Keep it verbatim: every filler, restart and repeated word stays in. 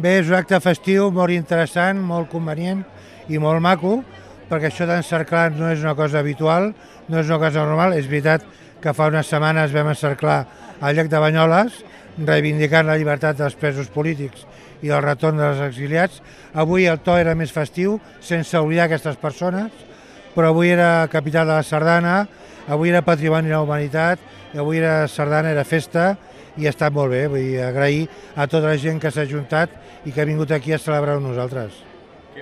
Bé, és un acte festiu molt interessant, molt convenient i molt maco, perquè això d'encerclar no és una cosa habitual, no és una cosa normal. És veritat que fa unes setmanes vam encerclar al llac de Banyoles, reivindicant la llibertat dels presos polítics i el retorn dels exiliats. Avui el to era més festiu, sense oblidar aquestes persones, però avui era capital de la sardana, avui era patrimoni de la humanitat, i avui era sardana, era festa, i ha estat molt bé. Vull dir, agrair a tota la gent que s'ha ajuntat i que ha vingut aquí a celebrar amb nosaltres.